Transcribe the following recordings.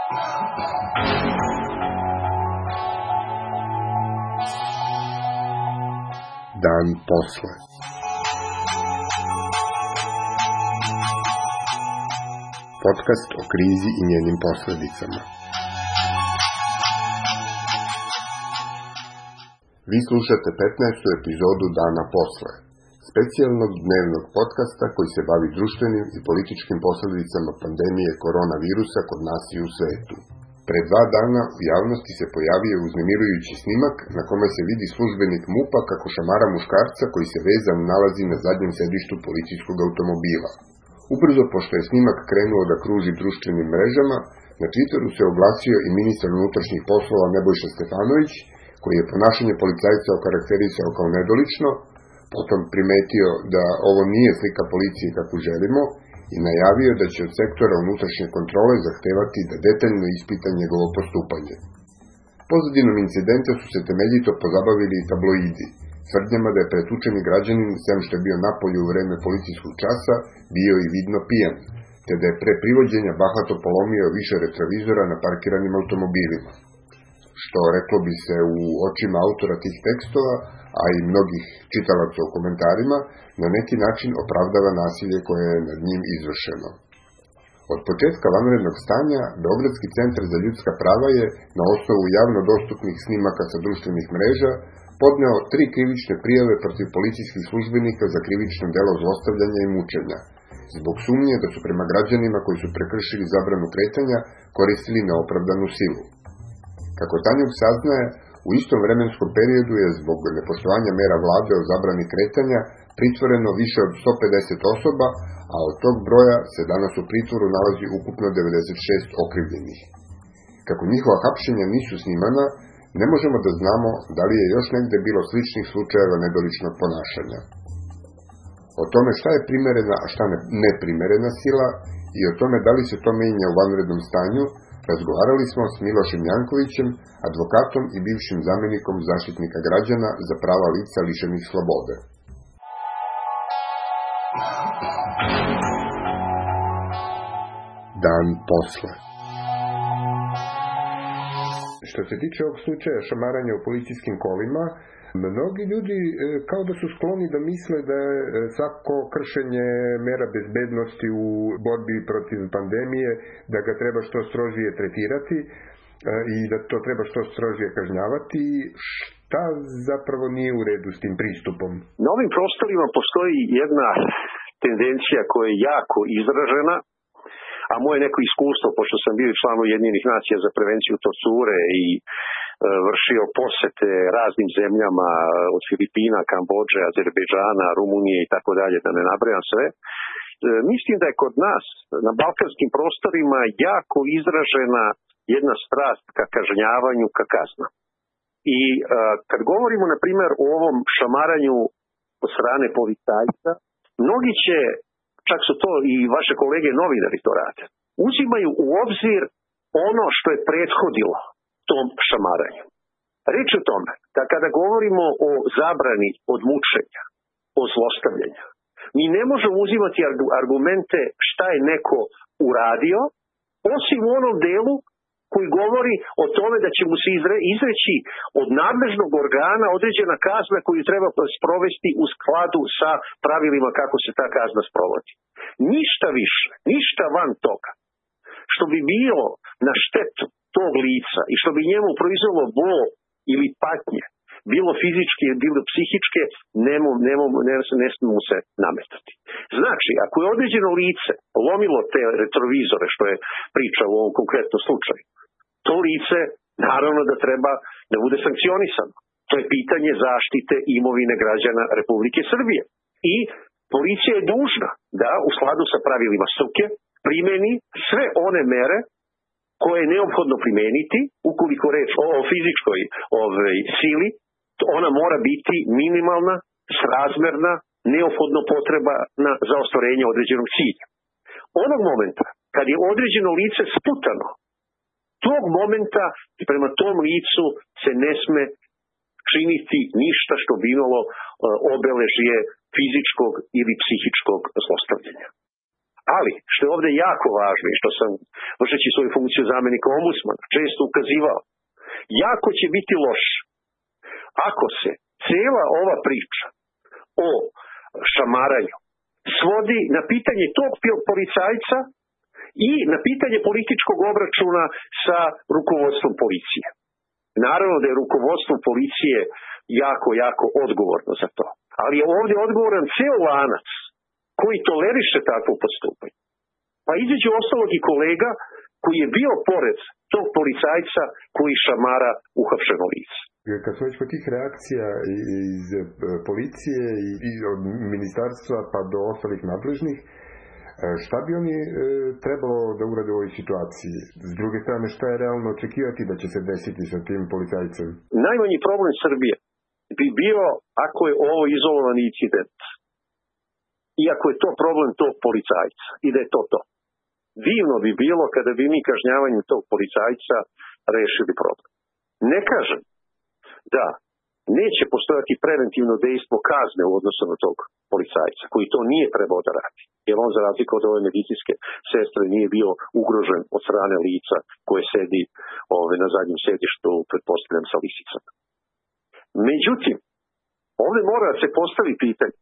Dan posle. Podcast o krizi i njenim posledicama. Vi slušate 15. epizodu Dana posle, specijalnog dnevnog podcasta koji se bavi društvenim i političkim posledicama pandemije koronavirusa kod nas i u svetu. Pre 2 dana u javnosti se pojavio uznemirujući snimak na kome se vidi službenik MUP-a kako šamara muškarca koji se vezan nalazi na zadnjem sedištu policijskog automobila. Ubrzo pošto je snimak krenuo da kruži društvenim mrežama, na Twitteru se oglasio i ministar unutrašnjih poslova Nebojša Stefanović, koji je ponašanje policajca okarakterisao kao nedolično, potom primetio da ovo nije slika policije kakvu želimo i najavio da će od sektora unutrašnje kontrole zahtevati da detaljno ispita njegovo postupanje. Pozadinom incidenta su se temeljito pozabavili i tabloidi, tvrdnjama da je pretučeni građanin, sem što je bio napolju u vreme policijskog časa, bio i vidno pijan, te da je pre privođenja bahato polomio više retrovizora na parkiranim automobilima. Što, reklo bi se u očima autora tih tekstova, a i mnogih čitalaca u komentarima, na neki način opravdava nasilje koje je nad njim izvršeno. Od početka vanrednog stanja, Beogradski centar za ljudska prava je, na osnovu javno dostupnih snimaka sa društvenih mreža, podneo 3 krivične prijave protiv policijskih službenika za krivično delo zlostavljanja i mučenja, zbog sumnje da su prema građanima koji su prekršili zabranu kretanja koristili neopravdanu silu. Kako Tanjug saznaje, u istom vremenskom periodu je zbog nepoštovanja mera vlade o zabrani kretanja pritvoreno više od 150 osoba, a od tog broja se danas u pritvoru nalazi ukupno 96 okrivljenih. Kako njihova hapšenja nisu snimana, ne možemo da znamo da li je još negde bilo sličnih slučajeva nedoličnog ponašanja. O tome šta je primerena, a šta neprimerena sila i o tome da li se to menja u vanrednom stanju, razgovarali smo s Milošem Jankovićem, advokatom i bivšim zamenikom zaštitnika građana za prava lica lišenih slobode. Dan posle. Što se tiče ovog slučaja šamaranja u policijskim kolima, mnogi ljudi kao da su skloni da misle da je svako kršenje mera bezbednosti u borbi protiv pandemije, da ga treba što strožije tretirati i da to treba što strožije kažnjavati. Šta zapravo nije u redu s tim pristupom? Na ovim prostorima postoji jedna tendencija koja je jako izražena, a moje neko iskustvo, pošto sam bio član Ujedinjenih nacija za prevenciju torture i vršio posete raznim zemljama od Filipina, Kambodže, Azerbejdžana, Rumunije i tako dalje, da ne nabrajam sve. Mislim da je kod nas na balkanskim prostorima jako izražena jedna strast ka kažnjavanju, ka kaznama. I kad govorimo, na primjer, o ovom šamaranju od strane policajca, mnogi će, čak su to i vaše kolege novinari to rade, uzimaju u obzir ono što je prethodilo tom šamaranju. Reč o tome da kada govorimo o zabrani od mučenja, o zlostavljanju, mi ne možemo uzimati argumente šta je neko uradio, osim u onom delu koji govori o tome da će mu se izreći od nadležnog organa određena kazna koju treba sprovesti u skladu sa pravilima kako se ta kazna sprovodi. Ništa više, ništa van toga, što bi bilo na štetu tog lica i što bi njemu proizvelo bol ili patnje, bilo fizičke, bilo psihičke, ne smije se nametati. Znači, ako je određeno lice lomilo te retrovizore, što je priča u ovom konkretnom slučaju, to lice naravno da treba da bude sankcionisano. To je pitanje zaštite imovine građana Republike Srbije. I policija je dužna da u skladu sa pravilima struke primeni sve one mere koje je neophodno primeniti, ukoliko reč o fizičkoj sili, ona mora biti minimalna, srazmerna, neophodno potreba za ostvarenje određenog cilja. Onog momenta, kad je određeno lice sputano, tog momenta prema tom licu se ne sme činiti ništa što bi imalo obeležje fizičkog ili psihičkog zlostavljanja. Ali, što je ovdje jako važno i što sam, vršeći svoju funkciju zamjenika ombudsmana, često ukazivao, jako će biti loš ako se cijela ova priča o šamaranju svodi na pitanje tog policajca i na pitanje političkog obračuna sa rukovodstvom policije. Naravno da je rukovodstvo policije jako odgovorno za to. Ali je ovdje odgovoran ceo lanac koji toleriše takvo postupanje. Pa između ostalog i kolega koji je bio pored tog policajca koji šamara uhapšeno lice. Kad smo već po tih reakcija iz policije i od ministarstva pa do ostalih nadležnih, šta bi oni trebalo da urade u ovoj situaciji? S druge strane, šta je realno očekivati da će se desiti sa tim policajcem? Najmanji problem Srbije bi bio ako je ovo izolovani incident. Iako je to problem tog policajca i da je to. Divno bi bilo kada bi mi kažnjavanjem tog policajca rešili problem. Ne kažem da neće postojati preventivno dejstvo kazne u odnosu na tog policajca, koji to nije trebao da radi. Jer on, za razliku od ove medicinske sestre, nije bio ugrožen od strane lica koje sedi na zadnjem sedištu, pretpostavljam, sa lisicama. Međutim, ovdje mora se postavi pitanje.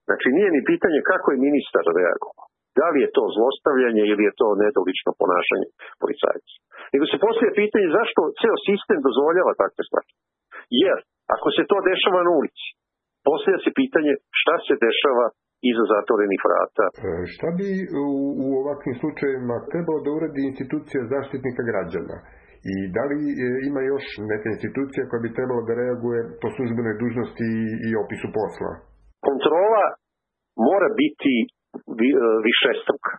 Znači, nije ni pitanje kako je ministar reagovao. Da li je to zlostavljanje ili je to nedolično ponašanje policajca. Nego se postavlja pitanje zašto ceo sistem dozvoljava takve stvari. Jer, ako se to dešava na ulici, postavlja se pitanje šta se dešava iza zatvorenih vrata. Šta bi u ovakvim slučajevima trebalo da uradi institucija zaštitnika građana? I da li ima još neka institucija koja bi trebala da reaguje po službenoj dužnosti i opisu posla? Kontrola mora biti višestruka.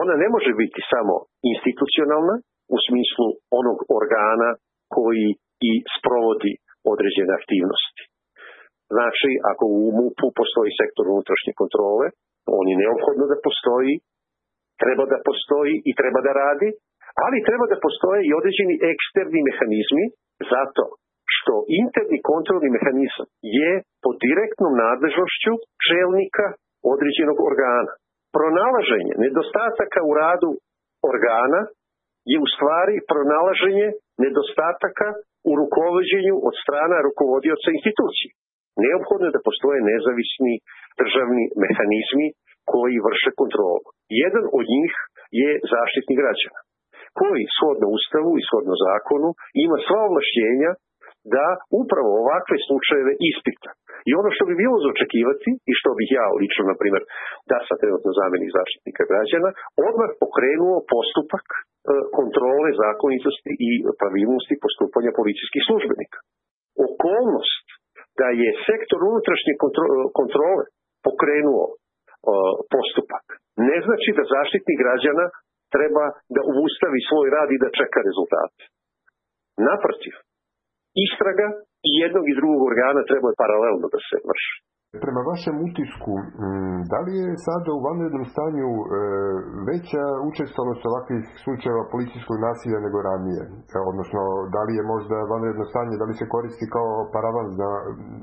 Ona ne može biti samo institucionalna u smislu onog organa koji i sprovodi određene aktivnosti. Znači, ako u MUP-u postoji sektor unutrašnje kontrole, on je neophodno da postoji, treba da postoji i treba da radi, ali treba da postoje i određeni eksterni mehanizmi, zato što interni kontrolni mehanizam je pod direktnom nadležnošću čelnika određenog organa. Pronalaženje nedostataka u radu organa je u stvari pronalaženje nedostataka u rukovođenju od strana rukovodioca institucije. Neophodno je da postoje nezavisni državni mehanizmi koji vrše kontrolu. Jedan od njih je Zaštitnik građana, koji shodno Ustavu i shodno zakonu ima sva ovlašćenja da upravo ovakve slučajeve ispita. I ono što bi bilo za očekivati i što bih ja lično, na primjer, da sam trenutno zamjenik Zaštitnika građana, odmah pokrenuo postupak kontrole zakonitosti i pravilnosti postupanja policijskih službenika. Okolnost da je sektor unutrašnje kontrole pokrenuo postupak ne znači da Zaštitnik građana treba da ustavi svoj rad i da čeka rezultate. Naprotiv, istraga i jednog i drugog organa treba paralelno da se vrši. Prema vašem utisku, da li je sada u vanrednom stanju veća učestalost ovakvih slučajeva policijskog nasilja nego ranije? Odnosno, da li je možda vanredno stanje, da li se koristi kao paravan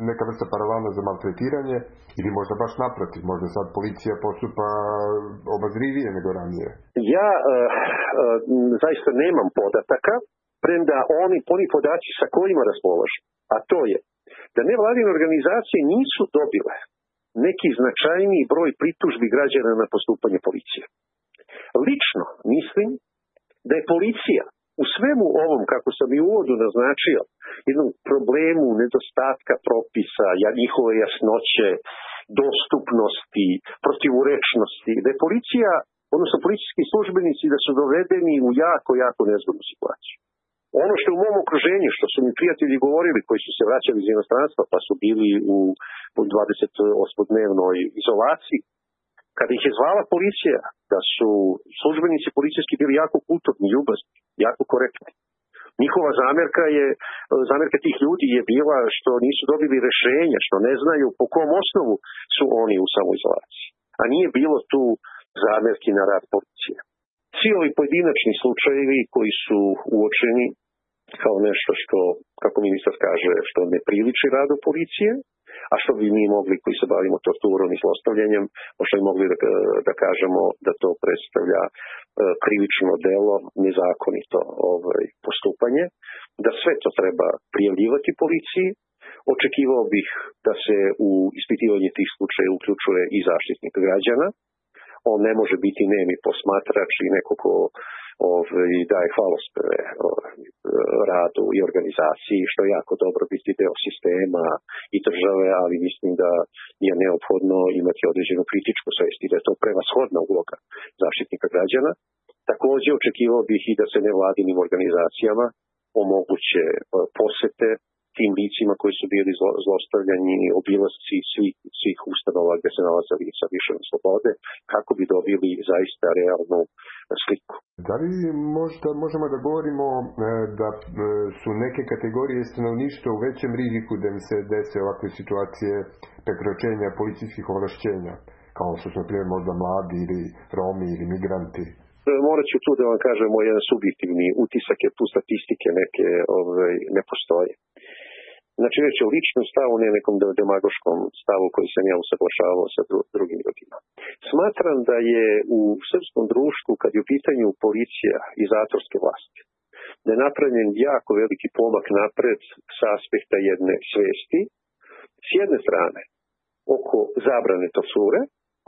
neka vrsta paravana za maltretiranje ili možda baš naprotiv, možda sad policija postupa obazrivije nego ranije? Ja zaista nemam podataka, premda oni podaci sa kojima raspolažu, a to je da nevladine organizacije nisu dobile neki značajniji broj pritužbi građana na postupanje policije. Lično mislim da je policija u svemu ovom, kako sam i u uvodu naznačio, jednom problemu nedostatka propisa, njihove jasnoće, dostupnosti, protivurečnosti, da je policija, odnosno policijski službenici, da su dovedeni u jako nezgodnu situaciju. Ono što je u mom okruženju, što su mi prijatelji govorili koji su se vraćali iz inostranstva pa su bili u 28-dnevnoj izolaciji, kada ih je zvala policija, da su službenici policijski bili jako kulturni, ljubazni, jako korektni. Njihova zamjerka tih ljudi je bila što nisu dobili rešenja, što ne znaju po kom osnovu su oni u samoizolaciji. A nije bilo tu zamjerki na rad policije. Svi ovi pojedinačni slučajevi koji su uočeni kao nešto što, kako ministar kaže, što ne priliči radu policije, A što bi mi mogli koji se bavimo torturom i zlostavljanjem, možda bi mogli da kažemo da to predstavlja krivično delo, nezakonito postupanje, da sve to treba prijavljivati policiji. Očekivao bih da se u ispitivanje tih slučaja uključuje i zaštitnik građana. On ne može biti nemi posmatrač i neko ko daje hvalospeve radu i organizaciji, što je jako dobro biti deo sistema i države, ali mislim da je neophodno imati određenu kritičku svest i da je to prevashodna uloga zaštitnika građana. Također očekivao bih i da se nevladinim organizacijama omoguće posete tim licima koji su bili zlostavljani, obilasci svih ustanova gdje se nalaze lica lišena slobode, kako bi dobili zaista realnu sliku. Da li možda možemo da govorimo da su neke kategorije stanovništva u većem riziku da im se dese ovakve situacije prekročenja policijskih ovlašćenja, kao što su naprimjer možda mladi ili Romi ili migranti? Morat ću tu da vam kažem moj jedan subjektivni utisak, jer tu statistike neke ne postoje. Znači već o ličnom stavu, ne nekom demagoškom stavu koji sam ja usaglašavao sa drugim ljudima. Smatram da je u srpskom društvu, kad je u pitanju policija i zatvorske vlasti, da je napravljen jako veliki pomak napred sa aspekta jedne svesti. S jedne strane, oko zabrane torture.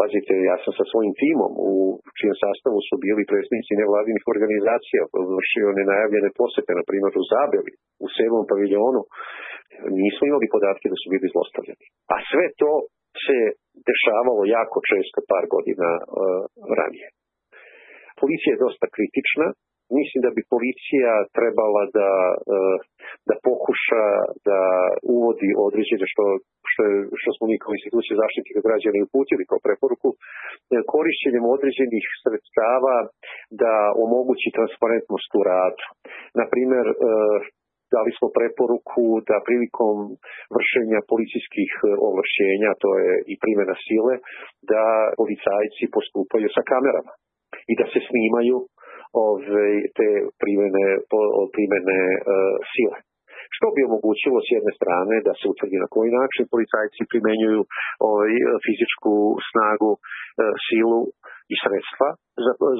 Pazite, ja sam sa svojim timom, u čijem sastavu su bili predstavnici nevladinih organizacija, vršio nenajavljene posete, na primjer u Zabeli, u 7. paviljonu, nismo imali podatke da su bili zlostavljani. A sve to se dešavalo jako često par godina ranije. Policija je dosta kritična. Mislim da bi policija trebala da pokuša da uvodi određene što smo mi kao institucije zaštitnika građana i uputili kao preporuku, korišćenjem određenih sredstava da omogući transparentnost u radu. Naprimjer, dali smo preporuku da prilikom vršenja policijskih ovlašćenja, to je i primjena sile, da policajci postupaju sa kamerama i da se snimaju te primjene sile. Što bi omogućilo s jedne strane da se utvrdi na koji način policajci primenjuju fizičku snagu, silu i sredstva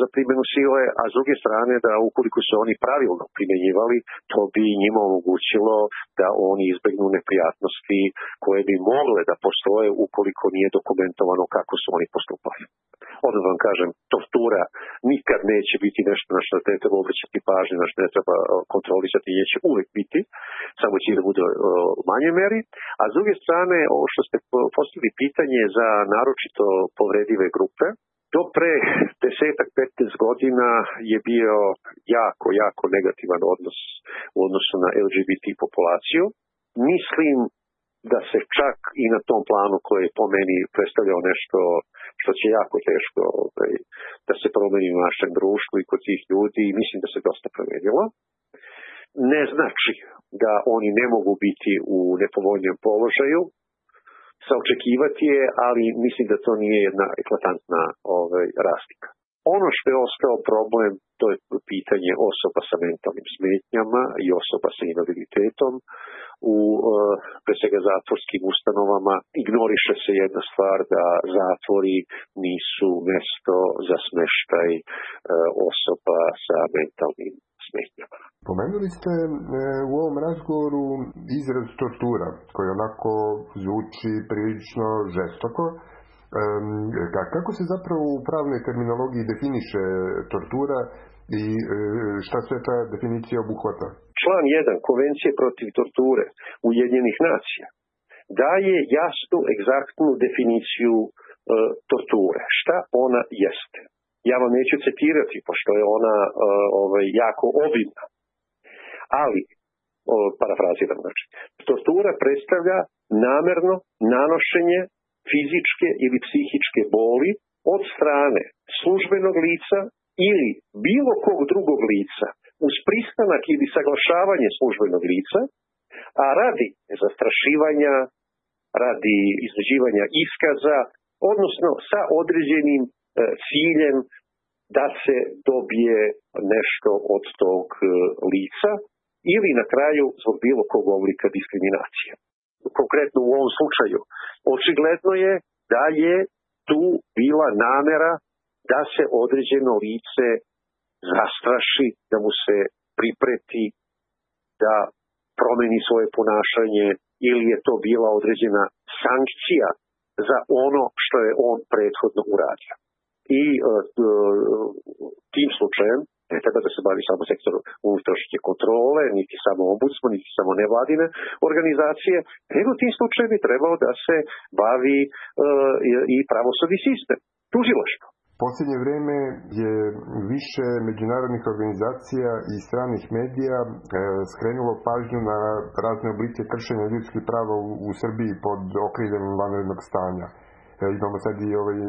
za primjenu sile, a s druge strane da ukoliko se oni pravilno primjenjivali, to bi njima omogućilo da oni izbegnu neprijatnosti koje bi mogle da postoje ukoliko nije dokumentovano kako su oni postupali. Odmah vam kažem, tortura nikad neće biti nešto na što ne treba obraćati pažnju, na što ne treba kontrolisati, jer će uvijek biti, samo će da bude u manjoj meri. A s druge strane, ovo što ste postavili pitanje za naročito povredive grupe, do pre 10-15 godina je bio jako negativan odnos u odnosu na LGBT populaciju. Mislim da se čak i na tom planu koji je po meni predstavljao nešto što će jako teško da se promeni u našem društvu i kod tih ljudi, i mislim da se dosta promenilo. Ne znači da oni ne mogu biti u nepovoljnom položaju, saočekivati je, ali mislim da to nije jedna eklatantna razlika. Ono što je ostao problem, to je pitanje osoba sa mentalnim smetnjama i osoba sa invaliditetom. U pre svega zatvorskim ustanovama ignoriše se jedna stvar, da zatvori nisu mesto za smeštaj osoba sa mentalnim smetnjama. Pomenuli ste u ovom razgovoru izraz tortura, koji onako zvuči prilično žestoko. Kako se zapravo u pravnoj terminologiji definiše tortura i šta sve ta definicija obuhvata? Član 1 Konvencije protiv torture Ujedinjenih nacija daje jasnu, egzaktnu definiciju torture. Šta ona jeste? Ja vam neću citirati, pošto je ona jako obimna. Ali, parafraziram, znači, tortura predstavlja namerno nanošenje fizičke ili psihičke boli od strane službenog lica ili bilo kog drugog lica uz pristanak ili saglašavanje službenog lica, a radi zastrašivanja, radi izrađivanja iskaza, odnosno sa određenim ciljem da se dobije nešto od tog lica ili na kraju zbog bilo kog oblika diskriminacije. konkretno u ovom slučaju. Očigledno je da je tu bila namera da se određeno lice zastraši, da mu se pripreti, da promeni svoje ponašanje, ili je to bila određena sankcija za ono što je on prethodno uradio. I tim slučajem ne treba da se bavi samo sektorom unutrašnje kontrole, niti samo ombudsman, niti samo nevladine organizacije, nego tim slučajem bi trebalo da se bavi i pravosudni sistem, tužilaštvo. Posljednje vrijeme je više međunarodnih organizacija i stranih medija skrenulo pažnju na razne oblike kršenja ljudskih prava u Srbiji pod okriljem vanrednog stanja. Imamo sad i ovaj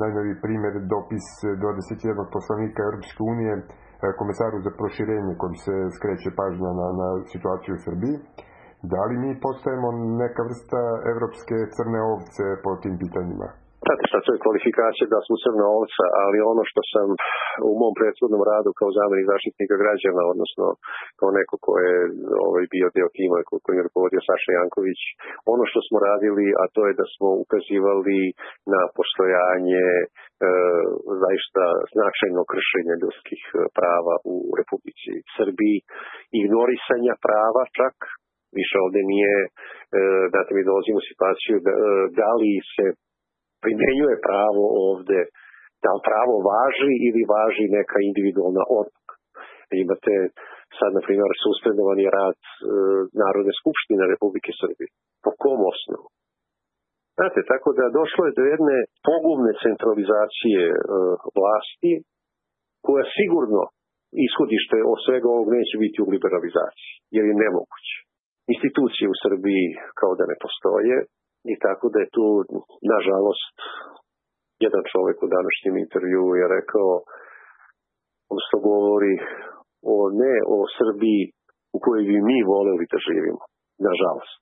najnoviji primjer, dopis 21 poslanika Europske unije komesaru za proširenje kojim se skreće pažnja na situaciju u Srbiji. Da li mi postajemo neka vrsta evropske crne ovce po tim pitanjima? Znate šta, to je kvalifikacija da smo crna ovca, ali ono što sam u mom prethodnom radu kao zamjenik zaštitnika građana, odnosno kao neko ko je bio deo tima koji je rukovodio Saša Janković, ono što smo radili, a to je da smo ukazivali na postojanje zaista značajno kršenje ljudskih prava u Republici Srbiji, ignorisanja prava čak, više ovde nije, da mi dolazimo u situaciju da li se primjenjuje pravo ovde, da li pravo važi ili važi neka individualna odluka. Imate sad, na primjer, suspendovani rad Narodne skupštine Republike Srbije. Po kom osnovu? Znate, tako da došlo je do jedne pogubne centralizacije vlasti, koja sigurno ishodište od svega ovog neće biti u liberalizaciji, jer je nemoguće. Institucije u Srbiji kao da ne postoje, i tako da je tu, nažalost, jedan čovjek u današnjem intervjuu je rekao, odnosno govori ne o Srbiji u kojoj bi mi voleli da živimo, nažalost.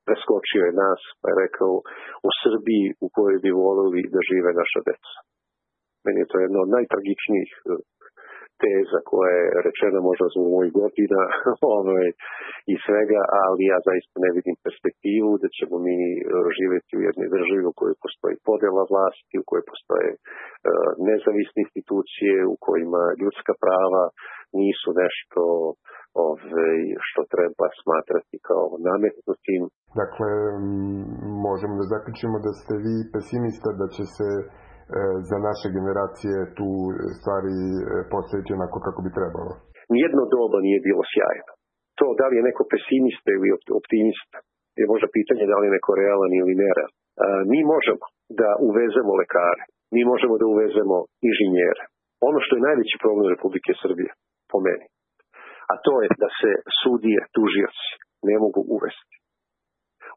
Preskočio je nas, pa je rekao o Srbiji u kojoj bi voleli da žive naša deca. Meni je to jedna od najtragičnijih teza koja je rečena možda zbog mojih godina i svega, ali ja zaista ne vidim perspektivu da ćemo mi živjeti u jednoj državi u kojoj postoji podjela vlasti, u kojoj postoje nezavisne institucije, u kojima ljudska prava nisu nešto što treba smatrati kao nametnutim. Dakle, možemo da zaključimo da ste vi pesimista da će se za naše generacije tu stvari postaviti onako kako bi trebalo. Nijedno doba nije bilo sjajno. To da li je neko pesimista ili optimista je možda pitanje da li je neko realan ili nerealan. Mi možemo da uvezemo lekare, mi možemo da uvezemo inženjere. Ono što je najveći problem Republike Srbije, po meni, a to je da se sudije, tužioci ne mogu uvesti.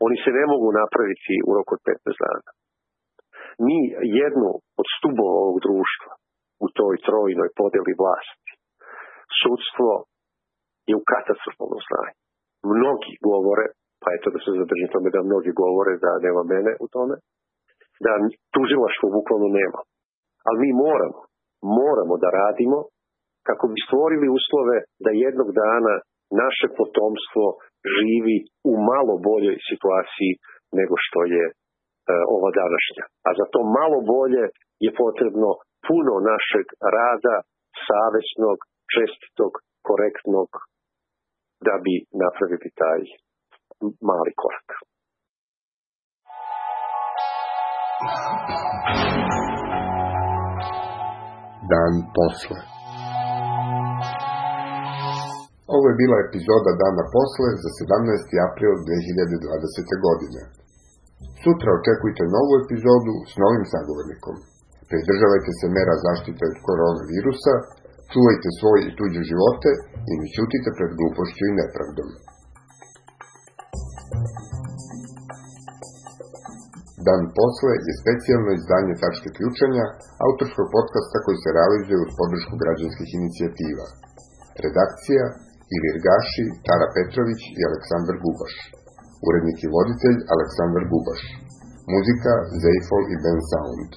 Oni se ne mogu napraviti u roku od 15 dana. Mi jednu od stubova ovog društva u toj trojnoj podeli vlasti, sudstvo je u katastrofalnom stanju. Mnogi govore, pa eto da se zadržim tome da mnogi govore da nema mene u tome, da tužilaštvo bukvalno nema. Ali mi moramo da radimo kako bi stvorili uslove da jednog dana naše potomstvo živi u malo boljoj situaciji nego što je ova današnja. A za to malo bolje je potrebno puno našeg rada, savesnog, čestitog, korektnog, da bi napravili taj mali korak. Dan posle. Ovo je bila epizoda Dana posle za 17. april 2020. godine. Sutra očekujte novu epizodu s novim sagovornikom. Pridržavajte se mera zaštite od koronavirusa, čuvajte svoje i tuđe živote i ne ćutite pred glupošću i nepravdom. Dan posle je specijalno izdanje Tačke ključanja, autorskog podcasta koji se realizuje uz podršku građanskih inicijativa. Redakcija Ilir Gaši, Tara Petrović i Aleksandar Gubaš. Urednik i voditelj Aleksandar Gubaš. Muzika Zeifol i Ben Sound.